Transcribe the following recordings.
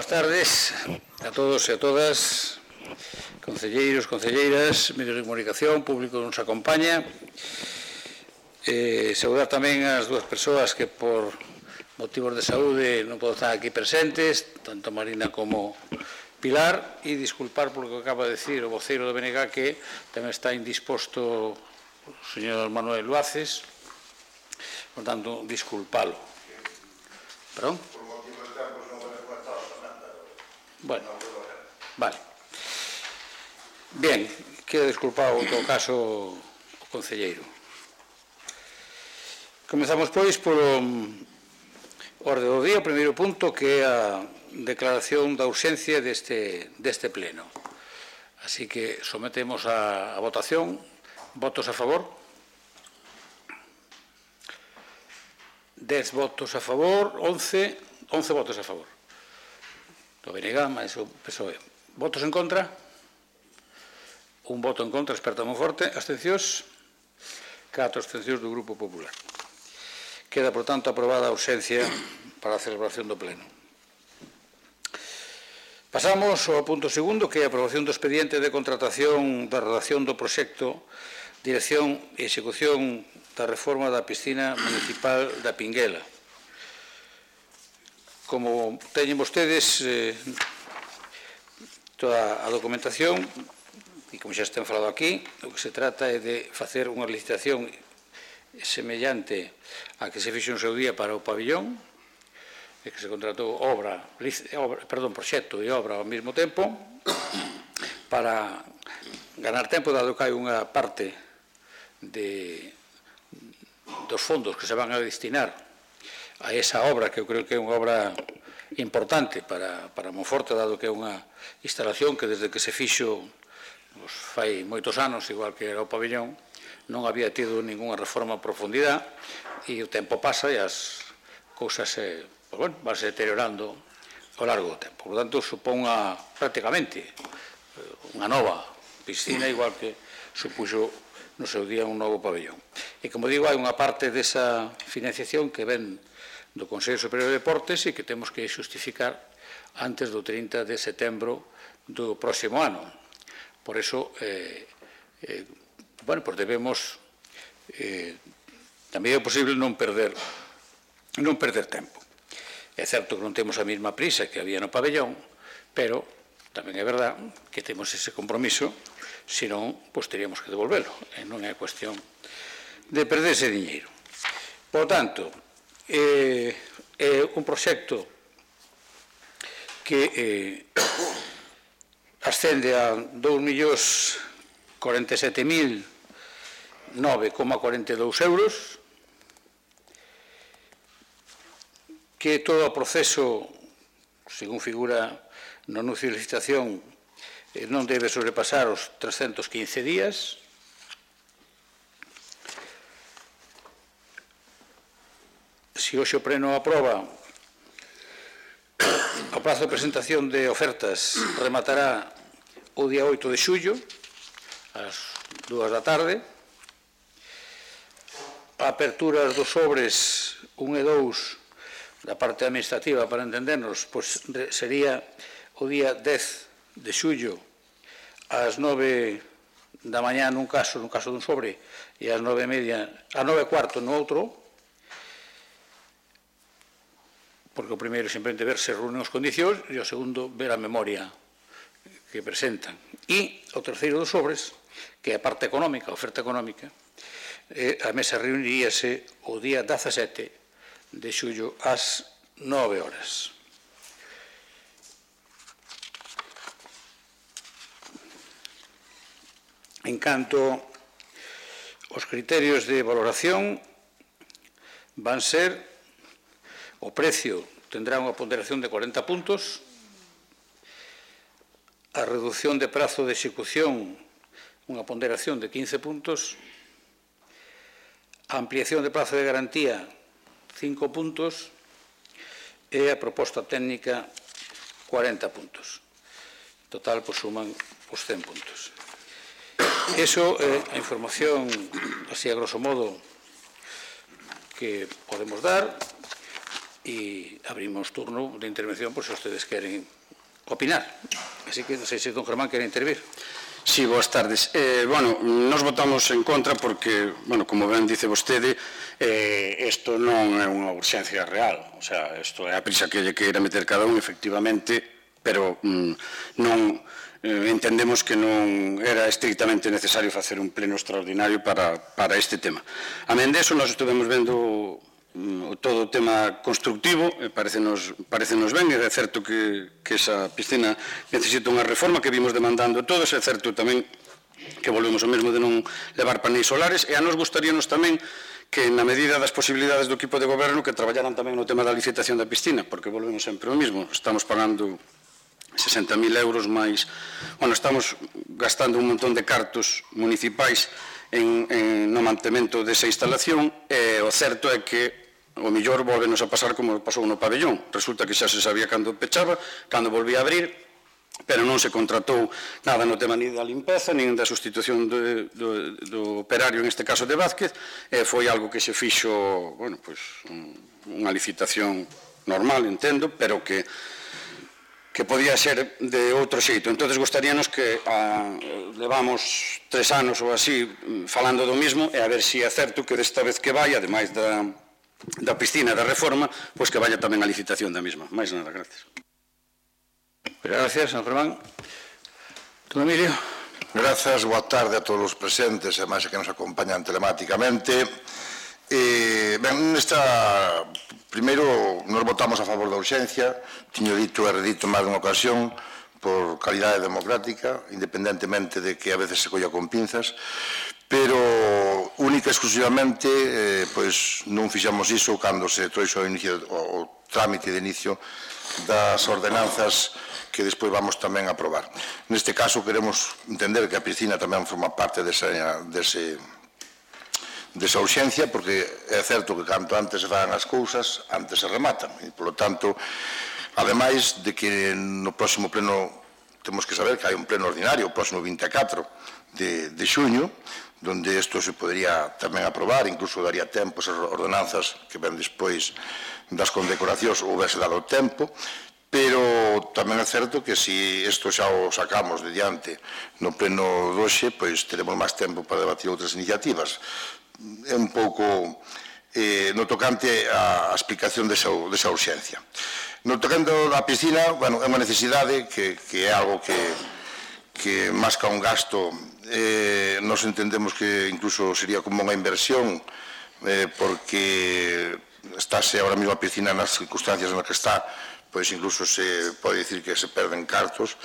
Boas tardes a todos e a todas, concelleiros, concelleiras, medios de comunicación, público que nos acompaña. Saudar tamén as dúas persoas que por motivos de saúde non poden estar aquí presentes, tanto Marina como Pilar, e disculpar por lo que acaba de decir o voceiro do BNG, que tamén está indisposto o señor Manuel Luaces, por tanto, disculpalo. Perdón? Bueno, vale. Bien, queda disculpado en todo caso o concelleiro. Comezamos, pois, polo orde do día, o primeiro punto, que é a declaración da urxencia deste pleno. Así que sometemos a votación. Votos a favor? 10 votos a favor, 11 votos a favor. Do BNG, máis o PSOE. Votos en contra? Un voto en contra, Esperta Monforte. Abstencións? 4 abstencións do Grupo Popular. Queda, por tanto, aprobada a urxencia para a celebración do pleno. Pasamos ao punto segundo, que é a aprobación do expediente de contratación da redacción do proxecto Dirección e Execución da reforma da piscina municipal da Pinguela. Como teñen vostedes toda a documentación, e como xa estén falado aquí, o que se trata é de facer unha licitación semellante a que se fixo en seu día para o pabillón, e que se contratou proxecto e obra ao mesmo tempo, para ganar tempo, dado que hai unha parte dos fondos que se van a destinar a esa obra, que eu creo que é unha obra importante para Monforte, dado que é unha instalación que desde que se fixo fai moitos anos, igual que era o pabillón, non había tido ninguna reforma a profundidade, e o tempo pasa e as cousas vanse deteriorando ao largo do tempo. Por tanto, supón prácticamente unha nova piscina, igual que supuxo no seu día un novo pabellón. E, como digo, hai unha parte desa financiación que ven do Consello Superior de Deportes e que temos que justificar antes do 30 de setembro do próximo ano. Por iso, debemos, tamén é posible non perder tempo. É certo que non temos a mesma prisa que había no pabellón, pero tamén é verdad que temos ese compromiso, senón, pois teríamos que devolvelo, e non é cuestión de perder ese diñeiro. Por tanto, é un proxecto que ascende a 2.047.009,42 euros, que todo o proceso, según figura no anuncio de licitación, non debe sobrepasar os 315 días. Se hoxe o pleno aproba, o prazo de presentación de ofertas rematará o día 8 de xullo, ás 2 da tarde. A apertura dos sobres 1 e 2 da parte administrativa, para entendernos, pois sería o día 10 de xullo ás 9 da mañá nun caso dun sobre, e ás 9:30, ás 9:15 no outro, porque o primeiro simplemente ver se reúnen as condicións e o segundo ver a memoria que presentan. E o terceiro dos sobres, que é a parte económica, a oferta económica, a mesa reuniríase o día 17 de xullo ás 9 horas. En canto aos criterios de valoración, van ser: o precio tendrá unha ponderación de 40 puntos, a reducción de prazo de execución unha ponderación de 15 puntos, a ampliación de prazo de garantía 5 puntos e a proposta técnica 40 puntos. En total, pois, suman os 100 puntos. Iso é a información, así a grosso modo, que podemos dar. y abrimos turno de intervención por si ustedes quieren opinar. Así que non sei se don Germán quere intervir. Sí, boas tardes. Bueno, nos votamos en contra porque, bueno, como ben dice vostede, isto non é unha urxencia real. O sea, isto é a prisa que lle queira meter cada un, efectivamente, pero non entendemos que non era estrictamente necesario facer un pleno extraordinario para este tema. A men deso, nós estivemos vendo todo o tema constructivo, parecenos ben, é certo que esa piscina necesita unha reforma que vimos demandando todos, é certo tamén que volvemos ao mesmo de non levar paneis solares, e a nos gustaríanos tamén que na medida das posibilidades do equipo de goberno que traballaran tamén no tema da licitación da piscina, porque volvemos sempre ao mesmo, estamos pagando 60.000 euros máis, bueno, estamos gastando un montón de cartos municipais no mantemento desa instalación, e o certo é que o mellor volvenos a pasar como pasou no pabellón. Resulta que xa se sabía cando pechaba, cando volvía a abrir, pero non se contratou nada no tema ni da limpeza, nin da sustitución do operario, en este caso de Vázquez, e foi algo que se fixo, bueno, pois, unha licitación normal, entendo, pero que podía ser de outro xeito. Entón, gostaríanos que levamos 3 anos ou así falando do mismo, e a ver se é certo que desta vez que vai, ademais da piscina da reforma, pois que vaya tamén a licitación da mesma. Mais nada, gracias. Gracias, San Germán. Don Emilio. Grazas, boa tarde a todos os presentes e máis que nos acompañan telemáticamente. Ben, primeiro, nos votamos a favor da urxencia, tiño dito e redito máis dunha ocasión, por calidade democrática, independentemente de que a veces se colla con pinzas, pero única e exclusivamente pois non fixamos iso cando se trouxo o trámite de inicio das ordenanzas que despois vamos tamén a aprobar. Neste caso queremos entender que a piscina tamén forma parte desa urxencia, porque é certo que canto antes se fan as cousas, antes se rematan, e polo tanto, ademais de que no próximo pleno temos que saber que hai un pleno ordinario, o próximo 24 de xuño, donde isto se podría tamén aprobar, incluso daría tempo esas ordenanzas que ven despois das condecoracións ou houvese dado tempo, pero tamén é certo que se isto xa o sacamos de diante no pleno doxe, pois teremos máis tempo para debatir outras iniciativas. É un pouco no tocante á explicación desa urxencia. No tocante á piscina, bueno, é unha necesidade que é algo que máis que un gasto, nos entendemos que incluso sería como unha inversión, porque estáse ahora mesmo a piscina nas circunstancias nas que está, pois incluso se pode dicir que se perden cartos,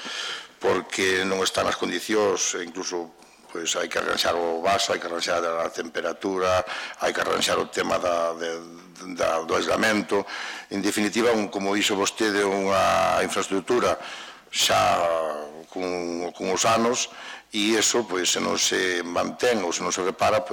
porque non están as condicións, incluso pois hai que arranxar o vaso, hai que arranxar a temperatura, hai que arranxar o tema do aislamento. En definitiva, como dixo vostede, unha infraestructura xa con os anos, e iso, se non se mantén ou se non se repara,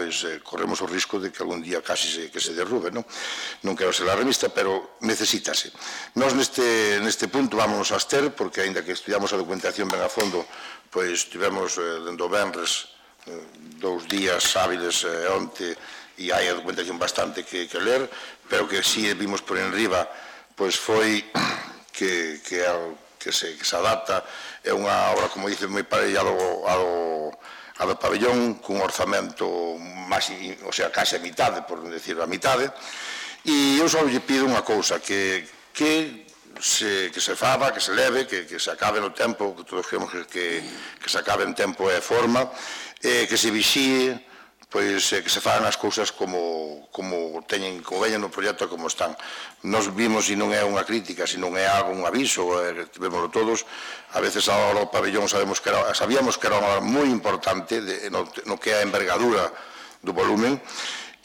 corremos o risco de que algún día casi que se derrube. Non quero ser alarmista, pero necesítase. Nós neste punto vámonos a abster, porque aínda que estudiamos a documentación ben a fondo, tivemos dentro venres 2 días hábiles onte, e hai a documentación bastante que ler, pero que si vimos por enriba, foi que se adapta, é unha obra, como dice, moi parella ao do pabellón, cun orzamento o sea, case a mitade, por non decir a mitade, e eu só lle pido unha cousa, que se faga, que se leve, que se acabe no tempo, que todos queremos que se acabe en tempo e forma, que se vixíe, que se fagan as cousas como veñen no proxecto, como están. Nos vimos, e non é unha crítica, se non é algo, un aviso, vémoslo todos, a veces a hora do pabellón sabíamos que era unha obra moi importante no que é a envergadura do volumen,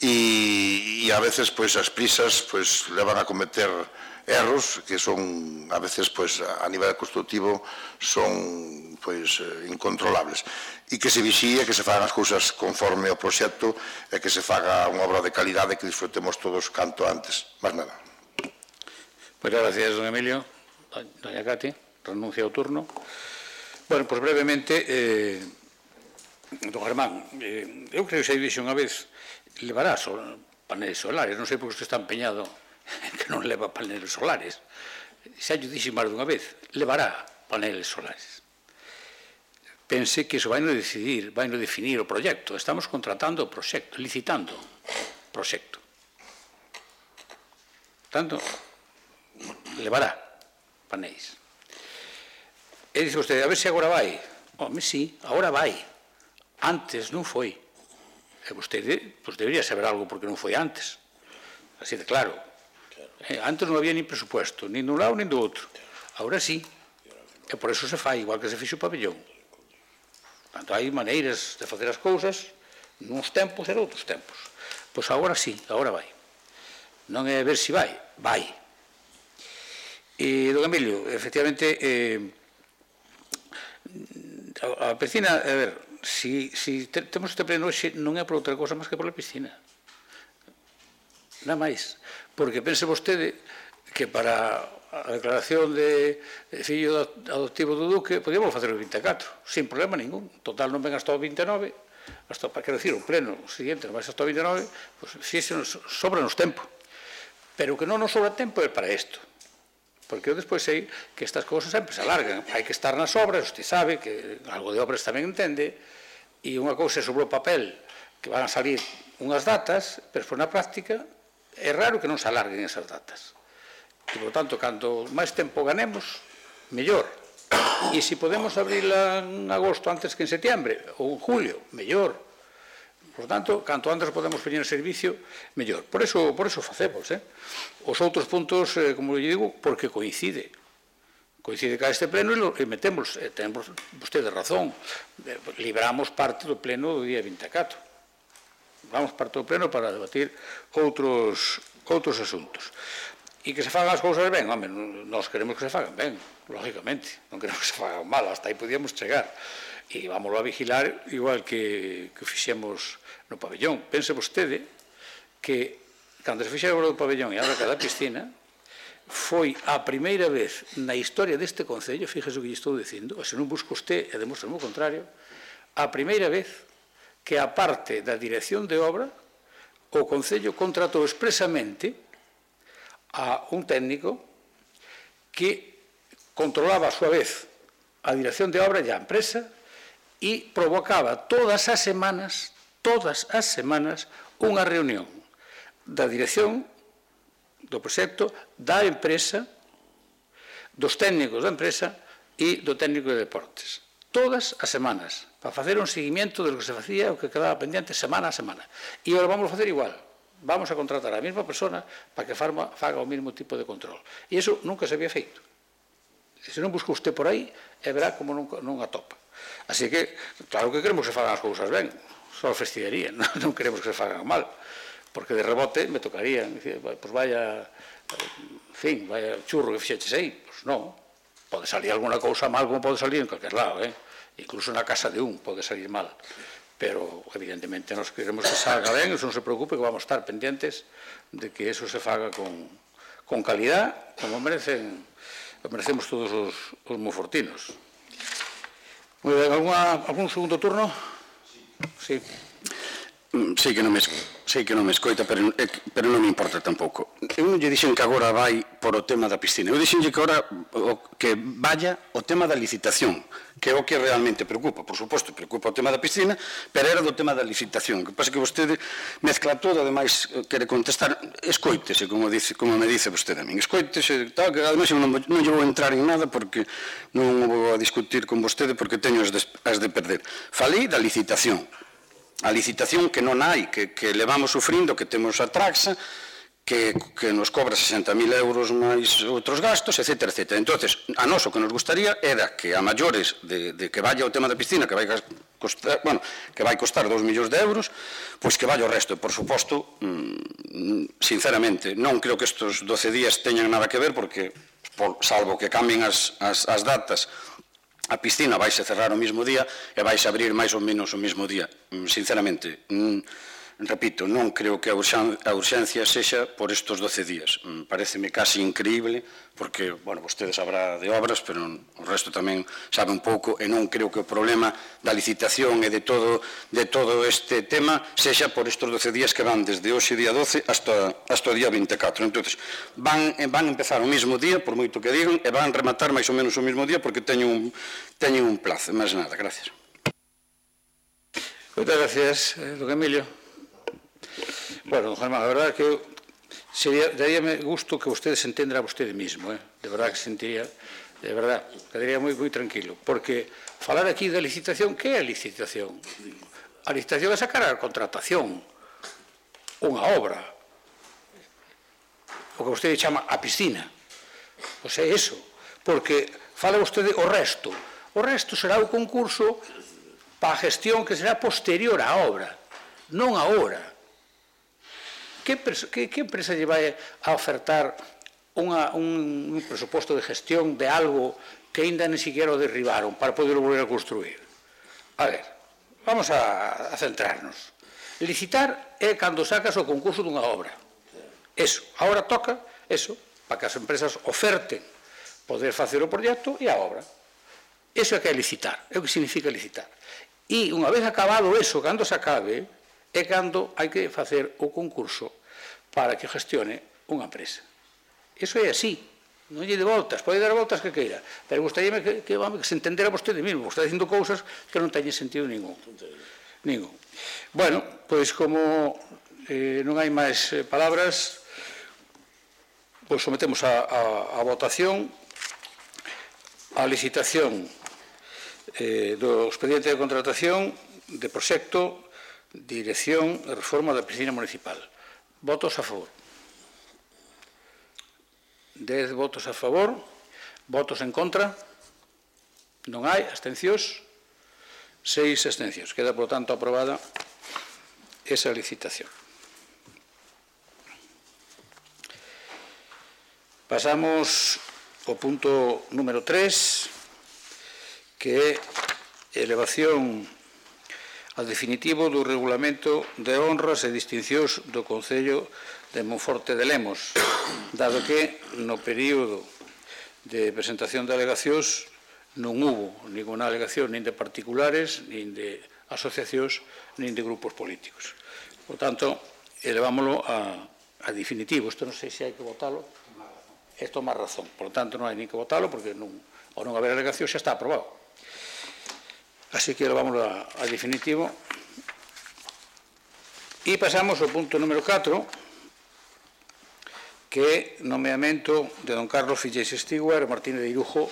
e a veces as prisas levan a cometer erros que son, a veces, a nivel constructivo, son incontrolables. E que se vixíe, que se fagan as cousas conforme ao proxecto, e que se faga unha obra de calidade que disfrutemos todos canto antes. Más nada. Pois gracias, don Emilio. Doña Cati, renuncia ao turno. Bueno, pois brevemente, don Germán, eu creo que xa dixo unha vez, levará paneles solares, non sei porque usted está empeñado que non leva paneles solares. Xa lle dixen máis dunha vez, levará paneles solares. Pense que iso vai no decidir, vai no definir o proxecto. Estamos contratando o proxecto, licitando o proxecto. Tanto, levará panéis. E dice vostede, a ver se agora vai. Home, sí, agora vai. Antes non foi. E vostede, pois debería saber algo porque non foi antes. Así de claro. Antes non había nin presupuesto, nin dun lado nin do outro. Agora sí. E por eso se fai, igual que se fixo o pabellón. Tanto hai maneiras de facer as cousas nuns tempos e noutros tempos. Pois agora sí, agora vai. Non é ver se vai, vai. E, don Emilio, efectivamente, a piscina, a ver, si temos este pleno hoxe, non é por outra cosa máis que pola piscina. Nada máis. Porque pense vostede que para a declaración de fillo adoptivo do Duque podíamos facer o 24, sin problema ningún. Total, non ven hasta o 29, quero dicir, o pleno siguiente non vai hasta o 29, pois sobra-nos tempo. Pero o que non nos sobra tempo é para isto. Porque eu despois sei que estas cousas sempre se alargan. Hai que estar nas obras, usted sabe que algo de obras tamén entende, e unha cousa é sobre o papel, que van a salir unhas datas, pero na práctica é raro que non se alarguen esas datas. E, por tanto, canto máis tempo ganemos, mellor. E se podemos abrila en agosto antes que en setiembre, ou en julio, mellor. Por tanto, canto antes podemos poñer en servicio, mellor. Por eso facemos. Os outros puntos, como lle digo, porque coincide. Coincide ca este pleno e metemos, temos vostede razón, libramos parte do pleno do día 24. Vamos parte do pleno para debatir outros asuntos. E que se fagan as cousas ben, home, nós queremos que se fagan ben, lógicamente, non queremos que se fagan mal, hasta aí podíamos chegar. E vamos a vigilar igual que fixemos no pabellón. Pense vostede que cando se fixera o pabellón e agora cada piscina foi a primeira vez na historia deste Concello, fíjese o que lle estou dicindo, se non busca usted e demostra o contrario, a primeira vez que a parte da dirección de obra o Concello contratou expresamente a un técnico que controlaba a súa vez a dirección de obra e a empresa e provocaba todas as semanas unha reunión da dirección do proxecto, da empresa, dos técnicos da empresa e do técnico de deportes. Todas as semanas, para facer un seguimiento de lo que se facía, o que quedaba pendiente semana a semana. E agora vamos a facer igual. Vamos a contratar a mesma persona para que faga o mesmo tipo de control. E iso nunca se había feito. Se non busca usted por aí, e verá como non atopa. Así que, claro que queremos que se fagan as cousas ben, só fastidiaría, non queremos que se fagan mal, porque de rebote me tocaría, pois vaya, en fin, vaya churro que fixeches aí, pois non, pode salir alguna cousa mal como pode salir en calquer lado, incluso na casa de un pode salir mal, pero evidentemente nos queremos que salga ben, eso non se preocupe, que vamos a estar pendientes de que eso se faga con calidad, como merecemos todos os monfortinos. Moi ben, algún segundo turno? Sí. Sei que non me escoita, pero non me importa tampouco. Eu non lle dixen que agora vai por o tema da piscina. Eu dixenlle que agora que vaya o tema da licitación, que é o que realmente preocupa. Por suposto, preocupa o tema da piscina, pero era do tema da licitación. Que pasa que vostede mezcla todo, ademais quere contestar, escoítese, como me dice vostede a min. Escoítese, tal, que ademais non lle vou entrar en nada porque non vou a discutir con vostede porque teño as de perder. Falei da licitación. A licitación que non hai, que levamos sufrindo, que temos a Traxa, que nos cobra 60.000 euros máis outros gastos, etc. Entón, a nós o que nos gustaría era que a maiores de que vaya o tema da piscina, que vai costar 2 millóns de euros, pois que vaya o resto. E, por suposto, sinceramente, non creo que estes 12 días teñan nada que ver, porque, salvo que cambien as datas, a piscina vaise cerrar o mesmo día e vaise abrir máis ou menos o mesmo día. Sinceramente, repito, non creo que a urxencia sexa por estes 12 días. Pareceme casi increíble, porque, bueno, vostede sabrá de obras, pero o resto tamén sabe un pouco, e non creo que o problema da licitación e de todo este tema sexa por estes 12 días que van desde hoxe día 12 hasta o día 24. Entón, van empezar o mesmo día, por moito que digan, e van rematar máis ou menos o mesmo día, porque teñen un plazo. Máis nada, gracias. Moitas gracias, don Emilio. Bueno, don Germán, a verdade que daríame gusto que vostede se entendera a vostede mismo, de verdade que sentiría, de verdade, quedaría moi tranquilo, porque falar aquí da licitación, que é a licitación? A licitación é sacar a contratación, unha obra, o que vostede chama a piscina, pois é iso, porque fala vostede o resto será o concurso para a gestión que será posterior á obra, non agora. Que empresa lle vai a ofertar un presuposto de gestión de algo que ainda ni siquiera o derribaron para poder volver a construir? A ver, vamos a centrarnos. Licitar é cando sacas o concurso dunha obra. Eso, agora toca eso, para que as empresas oferten poder facer o proxecto e a obra. Eso é que é licitar, é o que significa licitar. E unha vez acabado eso, cando se acabe, é cando hai que facer o concurso para que gestione unha empresa. Iso é así, non lle de voltas, pode dar voltas que queira, pero gustaríame que se entendera vostede mesmo, está dicindo cousas que non teñen sentido ningún. Bueno, pois como non hai máis palabras, pois sometemos a votación a licitación do expediente de contratación de proxecto, dirección e reforma da piscina municipal. Votos a favor. 10 votos a favor. Votos en contra. Non hai. Abstencións. 6 abstencións. Queda, por tanto, aprobada esa licitación. Pasamos ao punto número 3, que é elevación a definitivo do regulamento de honras e distincións do Concello de Monforte de Lemos, dado que no período de presentación de alegacións non hubo ninguna alegación nin de particulares, nin de asociacións, nin de grupos políticos. Por tanto, elevámoslo a definitivo. Isto non sei se hai que votalo. Isto é má razón. Por tanto, non hai nin que votalo, porque ao non haber alegación xa está aprobado. Así que elevámoslo a definitivo. E pasamos ao punto número 4, que é nomeamento de don Carlos Fillés Stewart Martínez de Irujo,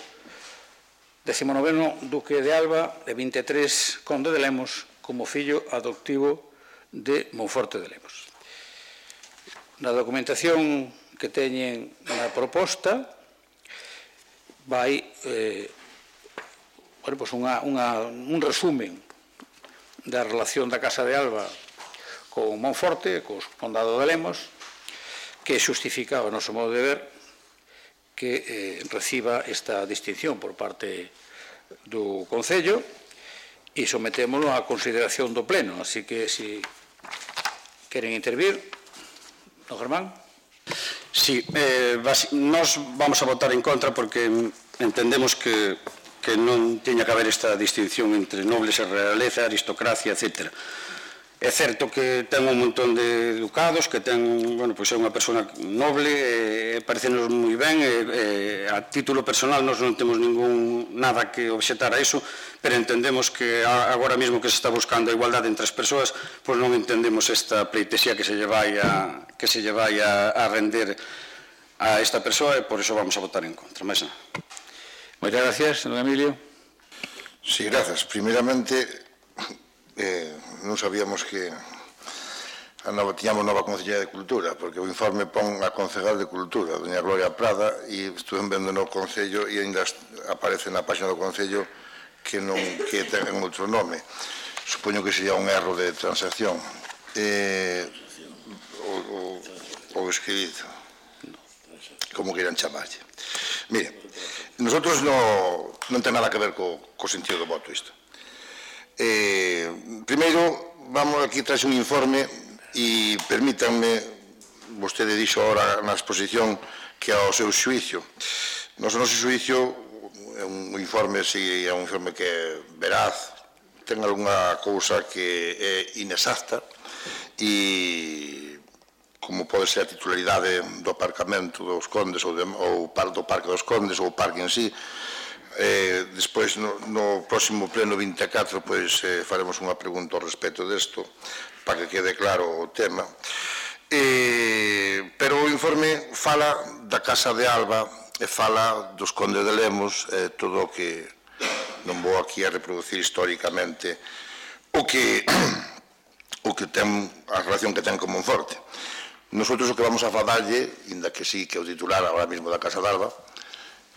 19º Duque de Alba e 23 Conde de Lemos, como fillo adoptivo de Monforte de Lemos. Na documentación que teñen na proposta vai un resumen da relación da Casa de Alba con Monforte, co Condado de Lemos, que xustifica o noso modo de ver que reciba esta distinción por parte do Concello e sometémolo á consideración do Pleno. Así que, se queren intervir, don Germán. Sí, nós vamos a votar en contra porque entendemos que non teña que haber esta distinción entre nobles e realeza, aristocracia, etc. É certo que ten un montón de ducados, que ten, bueno, pois é unha persona noble, parecenos moi ben, a título personal nós non temos nada que obxetar a iso, pero entendemos que agora mesmo que se está buscando a igualdade entre as persoas, pois non entendemos esta pleitesía que se lle vai a render a esta persoa, e por iso vamos a votar en contra. Máis nada. Moitas gracias, don Emilio. Sí, gracias. Primeiramente, non sabíamos que tiñamos nova Concellería de Cultura, porque o informe pon a Concegal de Cultura, doña Gloria Prada, e estuve vendo no Concello e ainda aparece na página do Concello que ten outro nome. Supoño que sería un erro de transacción. Ou escrito, como queiran chamarlle. Mire, nosotros non ten nada que ver co sentido do voto isto. Primeiro, aquí traxe un informe E permítanme, vostede dixo ahora na exposición que ao seu xuicio. No noso xuicio é un informe, si é un informe que é veraz, ten algunha cousa que é inexacta e como pode ser a titularidade do aparcamento dos Condes ou do Parque dos Condes ou o parque en sí. Despois, no próximo pleno 24, faremos unha pregunta ao respecto desto para que quede claro o tema. Pero o informe fala da Casa de Alba e fala dos Condes de Lemos, todo o que non vou aquí a reproducir históricamente o que ten, a relación que ten con Monforte. Nosotros o que vamos a falarlle, inda que sí que o titular ahora mismo da Casa de Alba,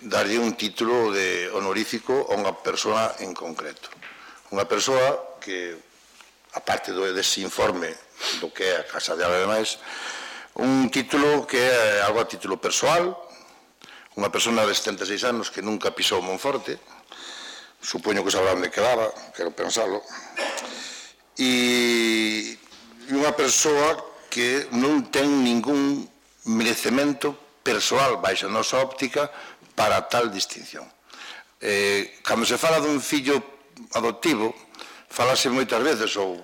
darlle un título honorífico a unha persoa en concreto. Unha persoa que, aparte dese informe do que é a Casa de Alba e demais, un título que é algo a título persoal, unha persona de 76 anos que nunca pisou Monforte, supoño que sabrá onde quedaba, quero pensarlo, e unha persoa que non ten ningún merecemento persoal baixo a nosa óptica para tal distinción. Cando se fala dun fillo adoptivo, falase moitas veces, ou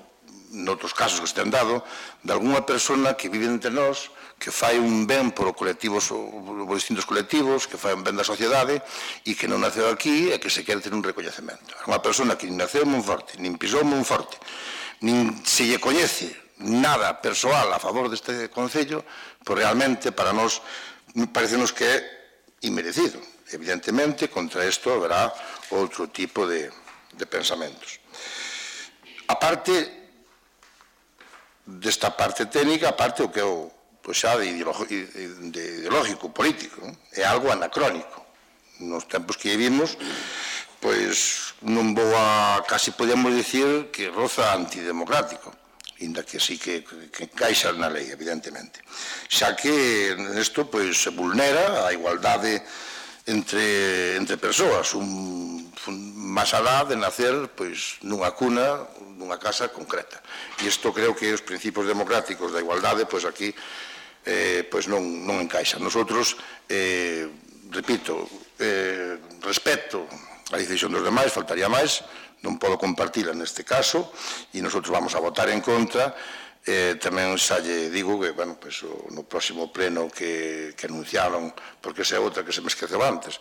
noutros casos que se ten dado, de algunha persona que vive entre nós, que fai un ben por distintos colectivos, que fai un ben da sociedade e que non naceu aquí e que se quere ter un recoñecemento. É unha persona que nin naceu en Monforte, nin pisou Monforte, nin se lle coñece nada persoal a favor deste concello, pois realmente para nós parecenos que é inmerecido. Evidentemente, contra isto haberá outro tipo de pensamentos. A parte desta parte técnica, a parte o que é o xa de ideológico, político, é algo anacrónico. Nos tempos que vivimos, pois non vou a, casi podemos dicir que roza antidemocrático, inda que sí que encaixa na lei, evidentemente. Xa que nesto se vulnera a igualdade entre persoas, máis alá de nacer nunha cuna, nunha casa concreta. E isto creo que os principios democráticos da igualdade, aquí non encaixan. Nosotros, repito, respeto a decisión dos demais, faltaría máis, non podo compartila neste caso, e nosotros vamos a votar en contra. Tamén xa lle digo que no próximo pleno que anunciaron, porque esa é outra que se me esqueceu antes,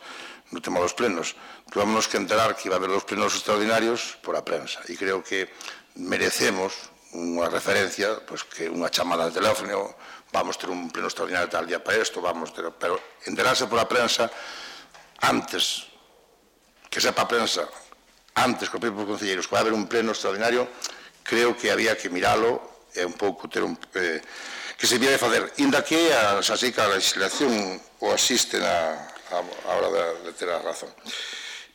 no tema dos plenos, tuvámonos que enterar que iba a haber dos plenos extraordinarios por a prensa, e creo que merecemos unha referencia, que unha chamada de teléfono, vamos ter un pleno extraordinario tal día para isto, pero enterarse por a prensa antes, que sepa a prensa, antes que os propios concelleiros, que vai haber un pleno extraordinario, creo que había que miralo, é un pouco ter que se viera de fazer, inda que xa sei que a legislación o asiste a hora de ter a razón.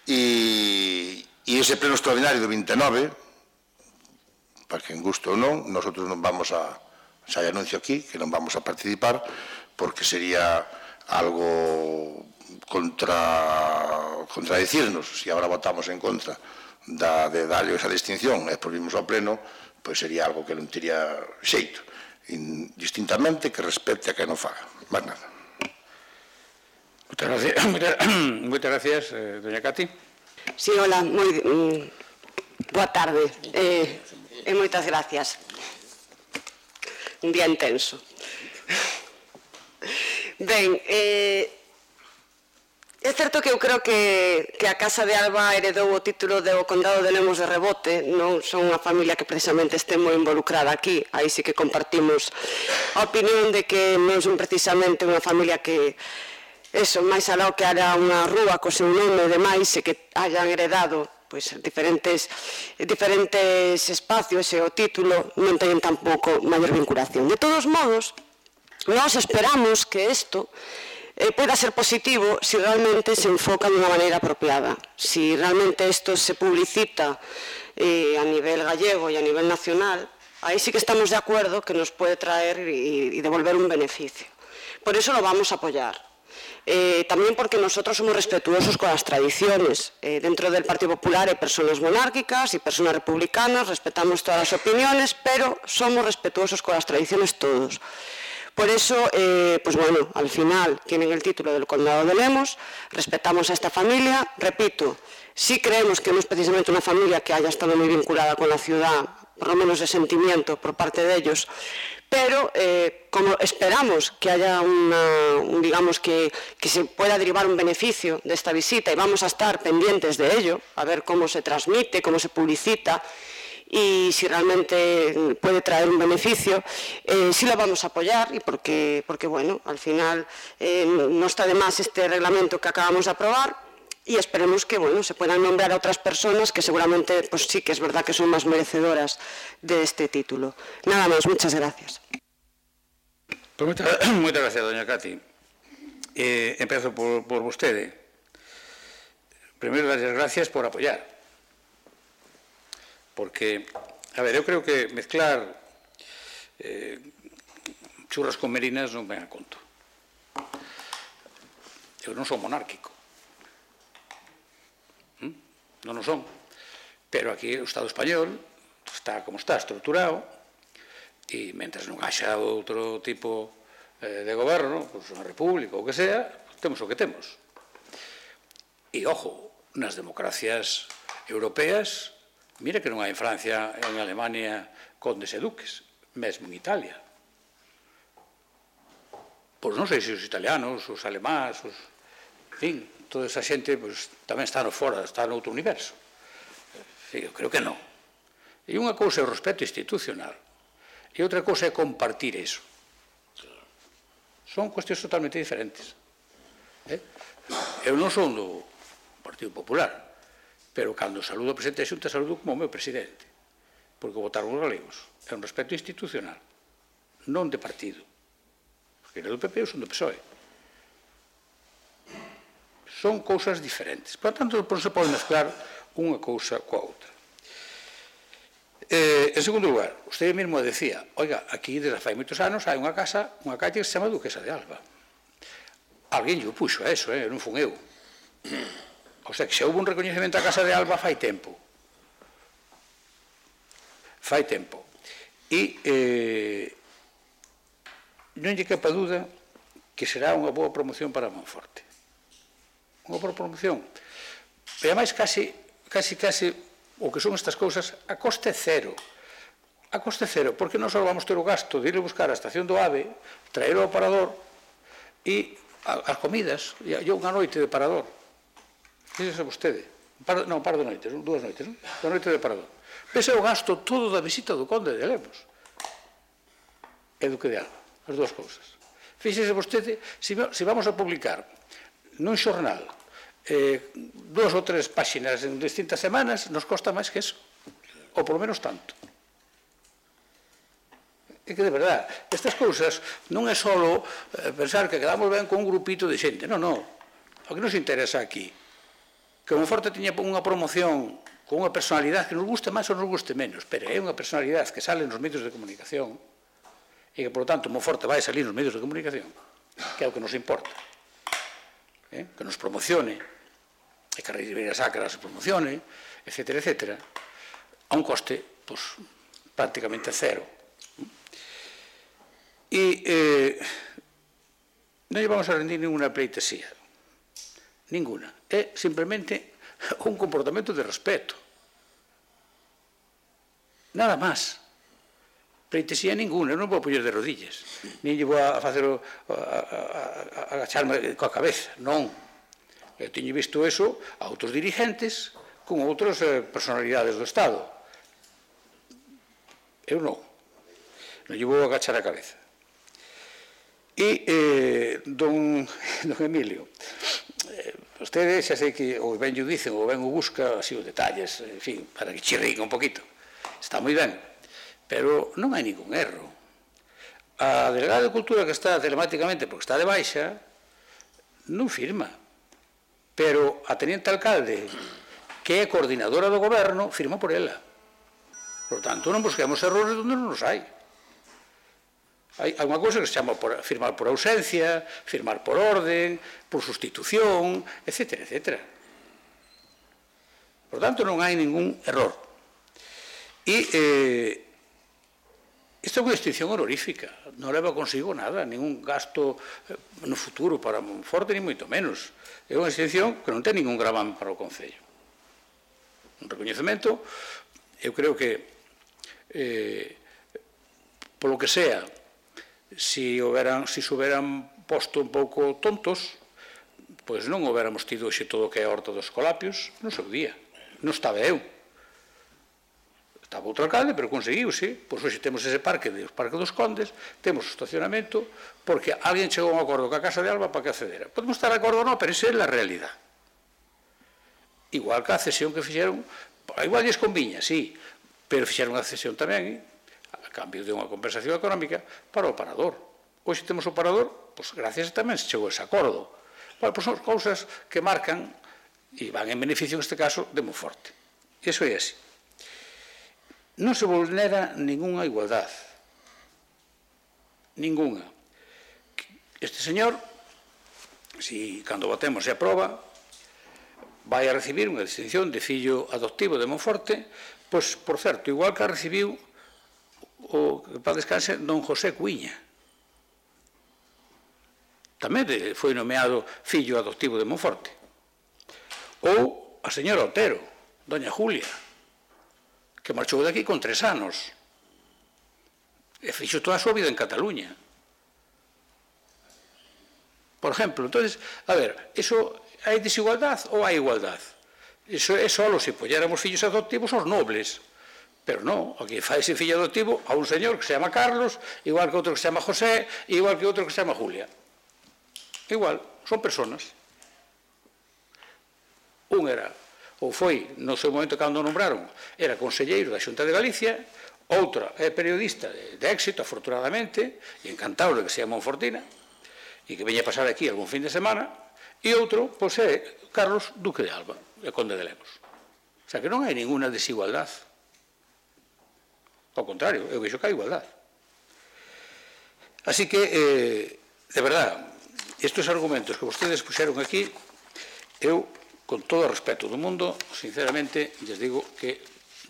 E ese pleno extraordinario do 29, para que en gusto ou non, nosotros non vamos a, xa anuncio aquí, que non vamos a participar, porque sería algo contradicirnos, se agora votamos en contra de darle esa distinción e volvimos ao pleno, pois sería algo que non tería xeito, distintamente que respecte a que non faga, máis nada. Moitas gracias, doña Cati. Sí, hola, boa tarde e moitas gracias. Un día intenso. Ben, é certo que eu creo que a Casa de Alba heredou o título do Condado de Lemos de rebote, non son unha familia que precisamente este moi involucrada aquí, aí sí que compartimos a opinión de que non son precisamente unha familia que, máis alá que haya unha rúa co seu nome e demais, e que hayan heredado diferentes espacios e o título non teñen tampouco maior vinculación. De todos modos, nós esperamos que isto pueda ser positivo si realmente se enfoca de unha maneira apropiada, si realmente isto se publicita a nivel gallego e a nivel nacional, aí sí que estamos de acuerdo que nos puede traer y devolver un beneficio. Por eso lo vamos a apoyar. También porque nosotros somos respetuosos con las tradiciones. Dentro del Partido Popular hay personas monárquicas y personas republicanas, respetamos todas las opiniones, pero somos respetuosos con las tradiciones todos. Por eso, pues bueno, al final tienen el título del Condado de Lemos, respetamos a esta familia, repito, sí creemos que no es precisamente una familia que haya estado muy vinculada con la ciudad, por lo menos de sentimiento por parte de ellos, pero como esperamos que haya digamos que se pueda derivar un beneficio de esta visita y vamos a estar pendientes de ello, a ver cómo se transmite, cómo se publicita y si realmente puede traer un beneficio, sí lo vamos a apoyar y porque bueno, al final no está de más este reglamento que acabamos de aprobar y esperemos que bueno, se puedan nombrar a otras personas que seguramente pues sí que es verdad que son más merecedoras de este título. Nada más, muchas gracias. Pues muchas gracias, doña Cati. Empiezo por vostede. Primeiro, dar as gracias por apoyar. Porque, a ver, eu creo que mezclar churras con merinas non ven a conto. Eu non son monárquico. Non o son. Pero aquí o Estado español está como está, estruturado, e mentras non haxa outro tipo de goberno, pois unha república ou que sea, temos o que temos. E, ojo, nas democracias europeas, mira que non hai en Francia e en Alemania condes e duques, mesmo en Italia. Pois non sei se os italianos, os alemáns, en fin, toda esa xente tamén está no fora, está no outro universo. Eu creo que non. E unha cousa é o respeto institucional e outra cousa é compartir iso. Son cuestións totalmente diferentes. Eu non son do Partido Popular, pero cando saludo ao presidente da Xunta saludo como o meu presidente, porque votaron os galegos. É un respeto institucional, non de partido. Porque era do PP ou son do PSOE. Son cousas diferentes. Por tanto, non se pode mezclar unha cousa coa outra. En segundo lugar, usted mesmo decía, oiga, aquí desde fai moitos anos hai unha casa, unha calle que se chama Duquesa de Alba. Alguén lle puxo a eso, non fun eu. O sea, que se houve un recoñecemento a Casa de Alba fai tempo. Fai tempo. E non lle quepa dúda que será unha boa promoción para Monforte. Unha boa promoción. E ademais, casi, o que son estas cousas, a coste cero. A coste cero, porque non só vamos ter o gasto de ir a buscar a estación do AVE, traer ao parador e as comidas, e unha noite de parador. Fíxese vostede, non, par de noites, dúas noites, non? Da noite de parador. Ese é o gasto todo da visita do Conde de Lemos. E Duque de Alba, as dúas cousas. Fíxese vostede, se vamos a publicar nun xornal 2 ou 3 páxinas en distintas semanas, nos costa máis que eso, ou por lo menos tanto. É que, de verdad, estas cousas non é só pensar que quedamos ben con un grupito de xente, non. O que nos interesa aquí que Monforte tiña unha promoción con unha personalidade que nos guste máis ou nos guste menos, pero é unha personalidade que sale nos medios de comunicación e que, por lo tanto, Monforte vai salir nos medios de comunicación, que é o que nos importa, que nos promocione, e que a Ribeira Sacra se promocione, etc., a un coste prácticamente cero. E non lle vamos a rendir ninguna pleitesía. Ninguna. É simplemente un comportamento de respeto. Nada máis. Pleitesía ninguna. Non vou poñer de rodillas. Nin lle vou a facer agacharme coa cabeza. Non. Eu teño visto eso a outros dirigentes con outras personalidades do Estado. Eu non. Non lle vou agachar a cabeza. E don Emilio, vostede xa sei que ou ben o dicen ou ben o busca así os detalles, en fin, para que chirrique un poquito. Está moi ben, pero non hai ningún erro. A delegada de Cultura que está telemáticamente, porque está de baixa, non firma. Pero a teniente alcalde, que é coordinadora do goberno, firma por ela. Por tanto, non busquemos errores onde non os hai. Hai unha cousa que se chama firmar por ausencia, firmar por orden, por sustitución, etc. Por tanto, non hai ningún error. E isto é unha extinción honorífica, non leva consigo nada, ningún gasto no futuro para Monforte, ni moito menos. É unha extinción que non ten ningún gravame para o Concello. Un recoñecemento, eu creo que, polo que sea, se se houberan posto un pouco tontos, pois non houbéramos tido xe todo o que é a Horta dos Escolapios no seu día. Non estaba eu. Estaba outro alcalde, pero conseguiuse. Pois hoxe temos ese parque dos Condes, temos o estacionamento, porque alguén chegou a un acordo ca Casa de Alba para que accedera. Podemos estar de acordo ou non, pero esa é a realidad. Igual que a cesión que fixeron, igual lles conviña, sí, pero fixeron a cesión tamén, a cambio de unha compensación económica, para o parador. Hoxe temos o parador, pois gracias tamén se chegou a ese acordo. Bueno, pois son cousas que marcan e van en beneficio, neste caso, de Monforte. Iso é así. Non se vulnera ninguna igualdade. Ninguna. Este señor, si cando votemos se aproba, vai a recibir unha distinción de fillo adoptivo de Monforte, pois, por certo, igual que a recibiu o que para descanse don José Cuiña. Tamén foi nomeado fillo adoptivo de Monforte. Ou a señora Otero, doña Julia, que marchou daqui con 3 anos e fixo toda a súa vida en Cataluña. Por exemplo, entonces, a ver, iso hai desigualdade ou hai igualdade? Iso é só se poñéramos fillos adoptivos aos nobles. Pero non, aquí faise fillo adoptivo a un señor que se chama Carlos, igual que outro que se chama José, igual que outro que se chama Julia. Igual, son personas. Un era, ou foi, no seu momento cando o nombraron, era conselleiro da Xunta de Galicia, outra é periodista de éxito, afortunadamente, e encantado de que sea monfortina, e que veña a pasar aquí algún fin de semana, e outro, pois é Carlos Duque de Alba, e Conde de Lemos. O sea, que non hai ninguna desigualdade. Ao contrario, eu vexo que hai igualdade. Así que, de verdad, estes argumentos que vostedes puxeron aquí, eu, con todo o respeto do mundo, sinceramente, lles digo que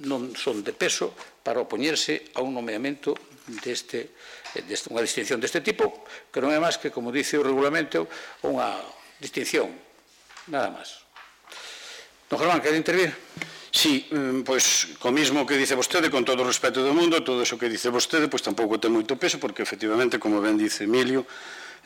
non son de peso para opoñerse a un nomeamento unha distinción deste tipo, que non é máis que, como dice o regulamento, unha distinción, nada máis. Don Germán, quere intervir? Sí, pois, co mismo que dice vostede, con todo o respeto do mundo, todo iso que dice vostede, pois tampouco ten moito peso, porque efectivamente, como ben dice Emilio,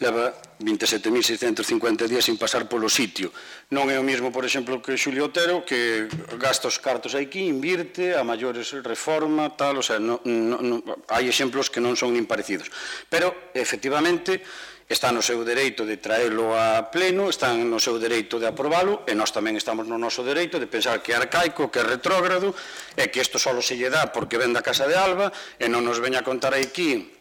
leva 27.650 días sin pasar polo sitio. Non é o mesmo, por exemplo, que Xulio Otero, que gasta os cartos aquí, invirte, a maiores reforma, tal, o sea, hai exemplos que non son nin parecidos. Pero, efectivamente, está no seu dereito de traelo a pleno, está no seu dereito de aprobalo, e nós tamén estamos no noso dereito de pensar que é arcaico, que é retrógrado, e que isto só se lle dá porque ven da Casa de Alba, e non nos veña a contar aquí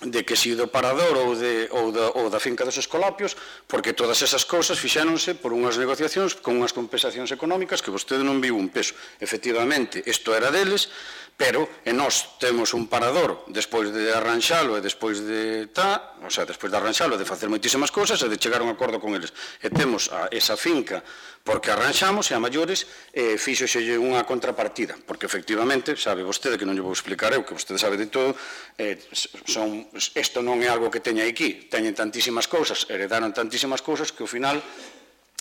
de que si do parador ou da finca dos Escolapios, porque todas esas cousas fixéronse por unhas negociacións con unhas compensacións económicas que vostede non viu un peso. Efectivamente, isto era deles, pero nós temos un parador despois de arranxalo e despois de despois de arranxalo, de facer moitísimas cousas e de chegar a un acordo con eles. E temos esa finca porque arranxamos e a maiores fíxoxelle unha contrapartida, porque efectivamente, sabe vostede que non lle vou explicar eu, que vostede sabe de todo, isto non é algo que teña aquí, teñen tantísimas cousas, heredaron tantísimas cousas que ao final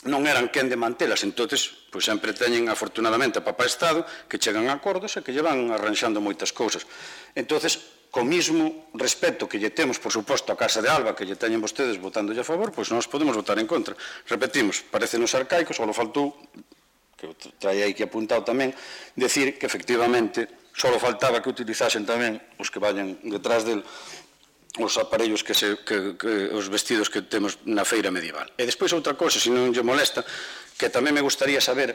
non eran quen de mantelas, entonces pois sempre teñen afortunadamente a papá Estado que chegan a acordos e que lle van arranxando moitas cousas. Entonces, co mismo respeto que lle temos, por suposto, a Casa de Alba, que lle teñen vostedes votándolle a favor, pois nós podemos votar en contra. Repetimos, parecen-nos arcaicos, só faltou, que traía aí que apuntado tamén, decir que efectivamente só faltaba que utilizasen tamén os que vayan detrás del os aparellos os vestidos que temos na feira medieval. E despois outra cousa, se non lle molesta, que tamén me gustaría saber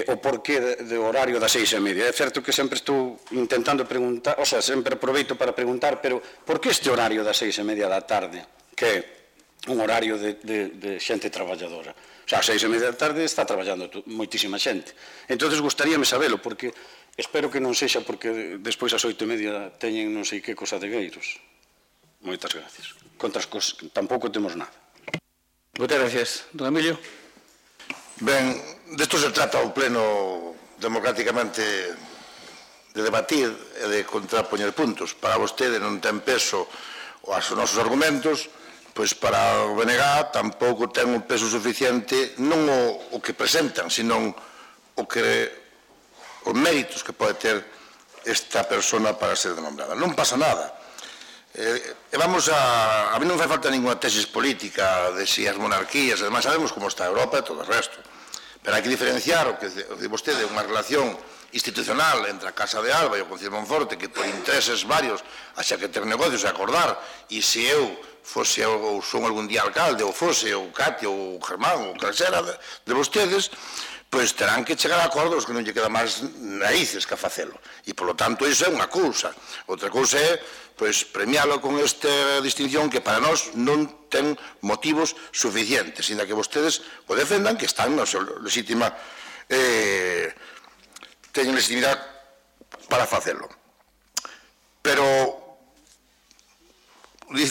o porqué do horario das 6:30. É certo que sempre estou intentando preguntar, o sea, sempre aproveito para preguntar, pero por que este horario das 6:30 da tarde, que é un horario de xente traballadora? O sea, a 6:30 da tarde está traballando moitísima xente. Entón, gustaríame sabelo, porque espero que non sexa porque despois as 8:30 teñen non sei que cosa de gueiros. Moitas gracias. Contra as cosas, tampouco temos nada. Moitas gracias. Don Emilio. Ben, desto se trata o pleno democráticamente de debatir e de contrapoñer puntos. Para vostede non ten peso os nosos argumentos, pois para o BNG tampouco ten un peso suficiente non o que presentan, senón os méritos que pode ter esta persona para ser denombrada. Non pasa nada. A mí non fai falta ninguna tesis política de si as monarquías, además sabemos como está Europa e todo o resto. Pero hai que diferenciar o que di vostede, unha relación institucional entre a Casa de Alba e o Concello de Monforte, que por intereses varios haxa que ter negocios e acordar, e se eu fose ou son algún día alcalde, ou fose o Cati, ou o Germán, ou calsera de vostedes, pois terán que chegar a acordos que non lle queda máis raíces que a facelo. E, polo tanto, iso é unha cousa. Outra cousa é pois premialo con esta distinción que para nós non ten motivos suficientes, ainda que vostedes o defendan, que están na súa legítima teñen legitimidade para facelo. Pero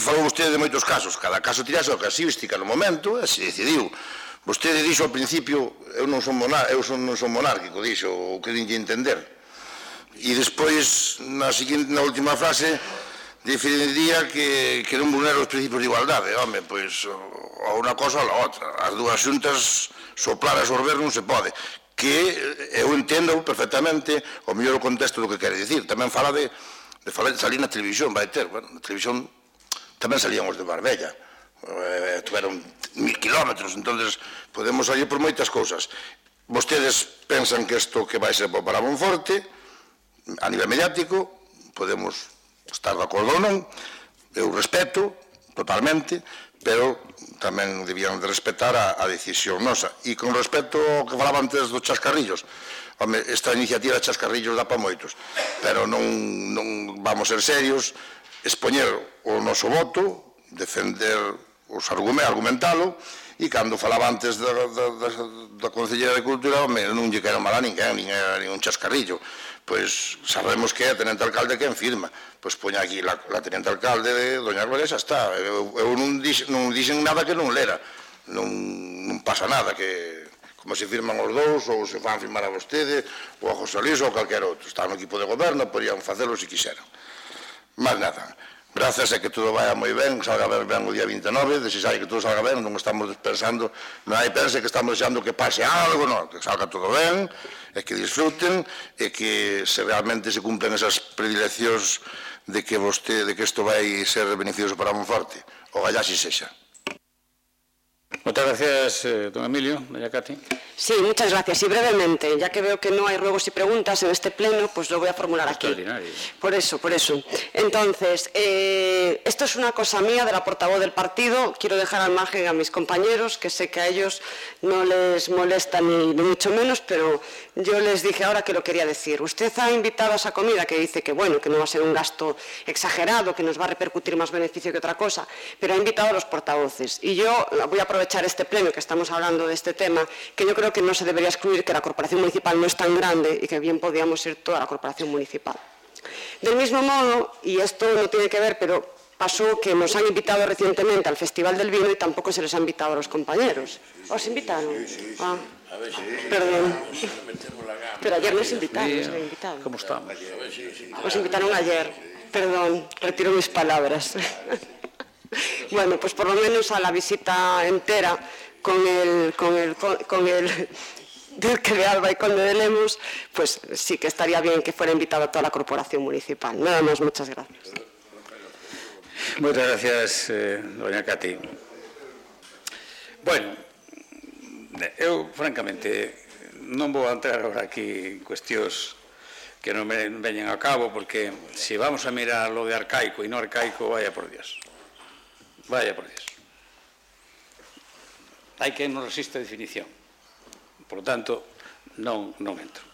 falou vostede de moitos casos, cada caso tirase a casuística no momento e se decidiu. Vostede dixo ao principio, eu non son monárquico, dixo, o que dinlle entender. E despois, na última frase, definiría que non vulnera os principios de igualdade. Home, pois, a unha cosa ou a outra. As dúas xuntas soplar e sorber non se pode. Que eu entendo perfectamente o mellor contexto do que quere dicir. Tamén fala de salir na televisión, vai ter. Bueno, na televisión tamén salían os de Marbella. Tuveron 1000 kilómetros, entonces podemos salir por moitas cousas. Vostedes pensan que isto que vai ser para Monforte, a nivel mediático, podemos estar de acordo ou non, eu respeto totalmente, pero tamén debían de respetar a decisión nosa. E con respecto ao que falaba antes dos chascarrillos, home, esta iniciativa de chascarrillos dá para moitos, pero non vamos ser serios, expoñer o noso voto, defender os argumentalo, e cando falaba antes da Concelleira de Cultura, home, non lle quero mal a ninguén, nin un chascarrillo. Pois sabemos que é a tenente alcalde quen firma, pois poña aquí la tenente alcalde de Doña Gloria, xa está. Eu non dixen nada que non lera, non pasa nada, que como se firman os dous, ou se fan firmar a vostede, ou a José Luis, ou calquer outro. Está no equipo de goberno, podían facelo se quixeran. Mas nada. Grazas a que todo vaya moi ben, salga ben o día 29, desexai que todo salga ben, non estamos pensando, non hai pense que estamos desexando que pase algo, non, que salga todo ben, e que disfruten, e que se realmente se cumplen esas predileccións de que isto vai ser beneficioso para Monforte, o gallá si sexa. Muchas gracias, don Emilio. Doña Cati. Sí, muchas gracias. Y brevemente, ya que veo que no hay ruegos y preguntas en este pleno, pues lo voy a formular aquí. Por eso. Entonces, esto es una cosa mía de la portavoz del partido. Quiero dejar al margen a mis compañeros, que sé que a ellos no les molesta ni mucho menos, pero yo les dije ahora que lo quería decir. Usted ha invitado a esa comida que dice que, bueno, que no va a ser un gasto exagerado, que nos va a repercutir más beneficio que otra cosa, pero ha invitado a los portavoces. Y yo voy a aprovechar este pleno que estamos hablando de este tema, que yo creo que no se debería excluir que la corporación municipal no es tan grande y que bien podríamos ir toda la corporación municipal. Del mismo modo, y esto no tiene que ver, pero pasó que nos han invitado recientemente al Festival del Vino y tampoco se les ha invitado a los compañeros. ¿Os invitaron? Ah, perdón. Pero ayer nos invitaron. ¿Cómo estamos? Os invitaron ayer. Perdón, retiro mis palabras. Bueno, pues por lo menos a la visita entera con el Duque de Alba y Conde de Lemos, pues sí que estaría bien que fuera invitado a toda la corporación municipal. Nada más, muchas gracias. Muchas gracias, doña Cati. Bueno, eu, francamente, non vou entrar agora aquí en cuestións que non veñen a cabo, porque se vamos a mirar lo de arcaico e non arcaico, vaya por Dios. Vaya por Dios. Hai que non resiste a definición. Por lo tanto, non entro.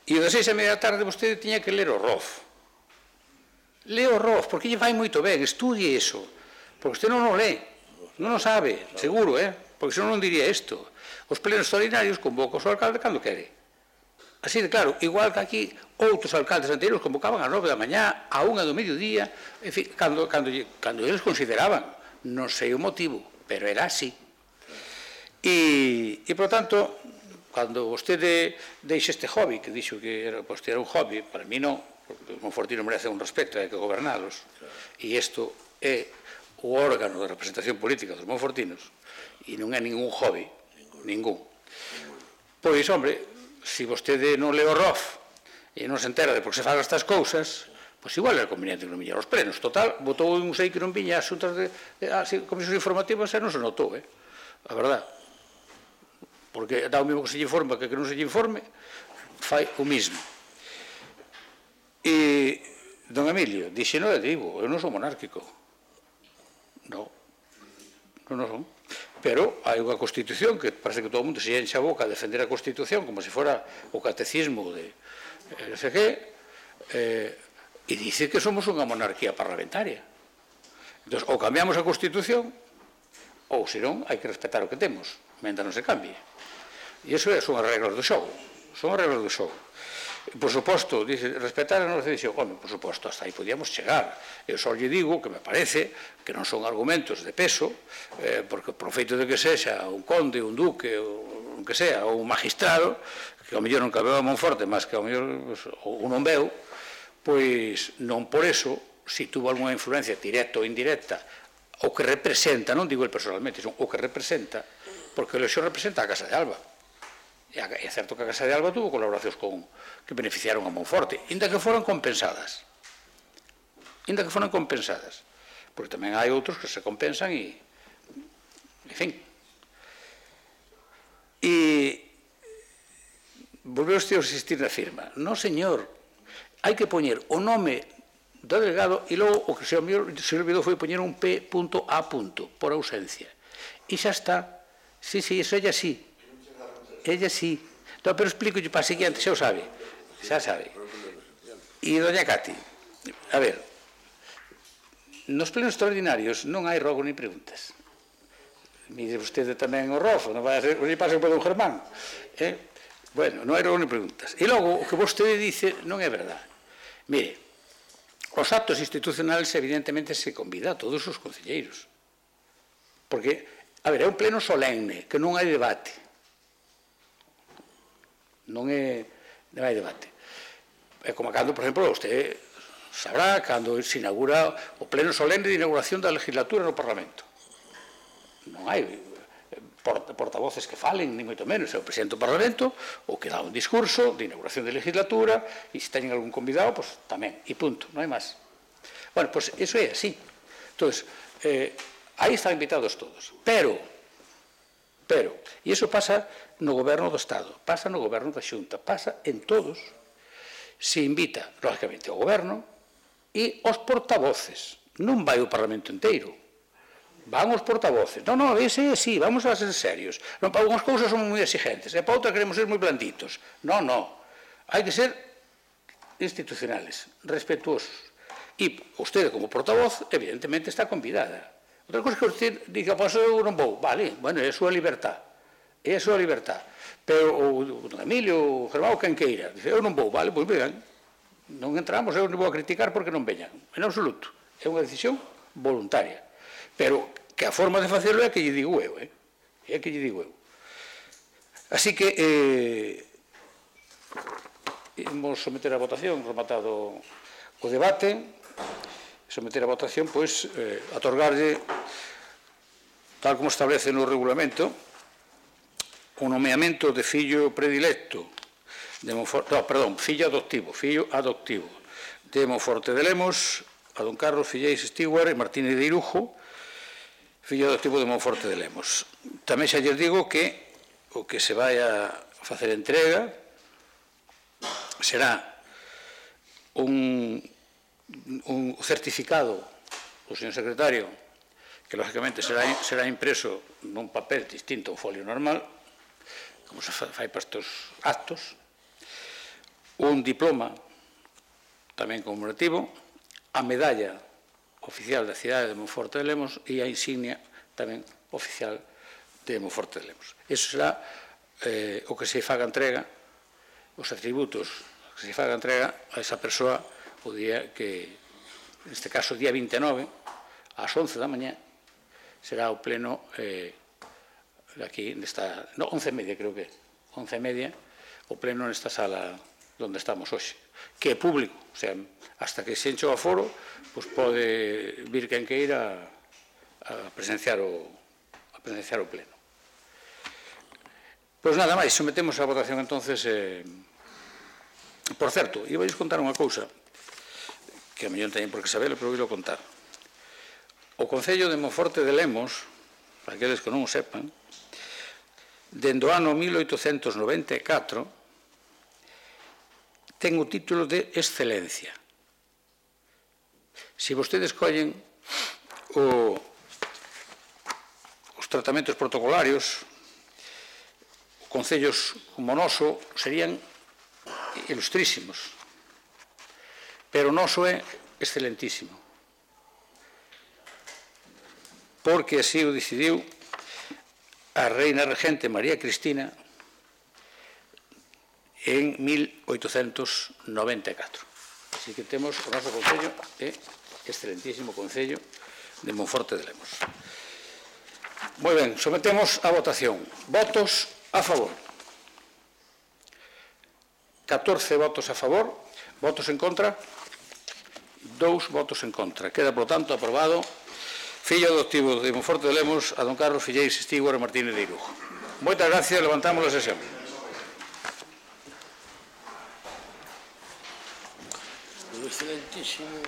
E o de 6:30 da tarde vostede tiña que ler o ROF. Leo o ROF, porque lle vai moito ben, estudie iso. Porque vostede non o lee, non o sabe, seguro, porque senón non diría isto. Os plenos extraordinarios convoca o seu alcalde cando quere. Así de claro, igual que aquí outros alcaldes anteriores convocaban a 9 da mañá, a 1 do mediodía, en fin, cando eles consideraban, non sei o motivo, pero era así. E por tanto, cando vostede deixa este hobby, que dixo que era un hobby, para mí non, porque o Monfortino merece un respeto, hai que gobernalos, e isto é o órgano de representación política dos monfortinos, e non é ningún hobby, ningún. Pois, hombre, se vostede non le o ROF e non se entera de por que se fan estas cousas, pois igual era conveniente que non viñera aos plenos. Total, votou un sei que non viña as xuntas de comisións informativas e non se notou, a verdad. Porque dá o mesmo que se lle informa que non se lle informe, fai o mismo. E, don Emilio, dixe, non, digo, eu non sou monárquico. Non son. Pero hai unha Constitución que parece que todo o mundo se enche a boca a defender a Constitución como se fora o catecismo de non sei que, e dice que somos unha monarquía parlamentaria. Entón, ou cambiamos a Constitución, ou, senón, hai que respetar o que temos, mentre non se cambie. E iso son as reglas do xogo. Son as reglas do xogo. Por suposto, dice, respetar a nosa decisión. Home, por suposto, hasta aí podíamos chegar. Eu só lle digo que me parece que non son argumentos de peso, porque por feito de que sexa un conde, un duque, ou que sea, ou un magistrado, que ao mellor non cabeu a Monforte, mas que ao mellor ou non veu, pois non por eso, se tuvo alguna influencia directa ou indirecta, o que representa, non digo el personalmente, son o que representa, porque o Lexo representa a Casa de Alba. É certo que a Casa de Alba tuvo colaboracións que beneficiaron a Monforte, inda que foran compensadas. Porque tamén hai outros que se compensan e, en fin. E volveu usted a insistir na firma. Non, señor, hai que poñer o nome do delegado e logo o que se olvidou foi poñer un P.A. por ausencia. E xa está. Sí, iso é así. Ella sí. No, pero explico para a seguinte, xa o sabe. Xa sabe. E doña Cati, a ver, nos plenos extraordinarios non hai rogo ni preguntas. Mire vostede tamén o ROF, non vai a ser, lle pasa por don Germán. Bueno, non hai rogo ni preguntas. E logo, o que vostede dice non é verdade. Mire, os actos institucionales evidentemente se convida a todos os concelleiros. Porque, a ver, é un pleno solemne, que non hai debate. Non hai debate. É como cando, por exemplo, usted sabrá cando se inaugura o pleno solemne de inauguración da legislatura no Parlamento. Non hai portavoces que falen, ni moito menos, é o presidente do Parlamento o que dá un discurso de inauguración de legislatura e se teñen algún convidado, pois tamén, e punto, non hai máis. Bueno, pois iso é así. Entón, aí están invitados todos. Pero, e iso pasa no goberno do Estado, pasa no goberno da Xunta, pasa en todos, se invita, lógicamente, ao goberno e os portavoces. Non vai o Parlamento inteiro, van os portavoces. Non, ese sí, vamos a ser serios. Non, para algunhas cousas somos moi exigentes, e para outras queremos ser moi blanditos. Non, hai que ser institucionales, respetuosos. E usted, como portavoz, evidentemente está convidada. Outra cosa que usted diga, pois eu non vou, vale, bueno, é a súa libertad. É a súa libertad. Pero o don Emilio, o Germán, quen queira, dice, eu non vou, vale, pois vean, non entramos, eu non vou a criticar porque non veñan, en absoluto. É unha decisión voluntaria. Pero que a forma de facelo é que lle digo eu, é que lle digo eu. Así que imos someter a votación, rematado o debate, someter a votación, pois, atorgarlle, tal como establece no regulamento, o nomeamento de fillo predilecto, fillo adoptivo de Monforte de Lemos, a don Carlos Filleix Stewart e Martínez de Irujo, fillo adoptivo de Monforte de Lemos. Tamén xa lles digo que o que se vai a facer entrega será un certificado do señor secretario, que lógicamente será impreso nun papel distinto ao folio normal, como se fai para estes actos, un diploma tamén conmemorativo, a medalla oficial da cidade de Monforte de Lemos e a insignia tamén oficial de Monforte de Lemos. Iso será o que se faga entrega os atributos que se faga entrega a esa persoa o día que, neste caso, día 29, ás 11 da mañá, será o pleno aquí, nesta, no, 11:30 creo que, 11:30, o pleno nesta sala onde estamos hoxe, que é público, o sea, hasta que se enche o aforo, pois pode vir quen queira a presenciar o pleno. Pois nada máis, sometemos a votación entonces. Por certo, iba a contar unha cousa que a mellor teñen por que saberlo, pero vou contar. O Concello de Monforte de Lemos, para aqueles que non o sepan, dende o ano 1894 ten o título de excelencia. Se vostedes collen os tratamentos protocolarios, concellos como o noso serían ilustrísimos, pero o noso é excelentísimo, porque así o decidiu a reina regente María Cristina en 1894. Así que temos o noso concello, excelentísimo concello de Monforte de Lemos. Moi ben, sometemos a votación. Votos a favor. 14 votos a favor, votos en contra, 2 votos en contra. Queda, por tanto, aprobado fillo adoptivo de Monforte de Lemos a don Carlos Filleix Estíguara Martínez de Irujo. Moitas gracias, levantamos a sesión. Excelentísimo.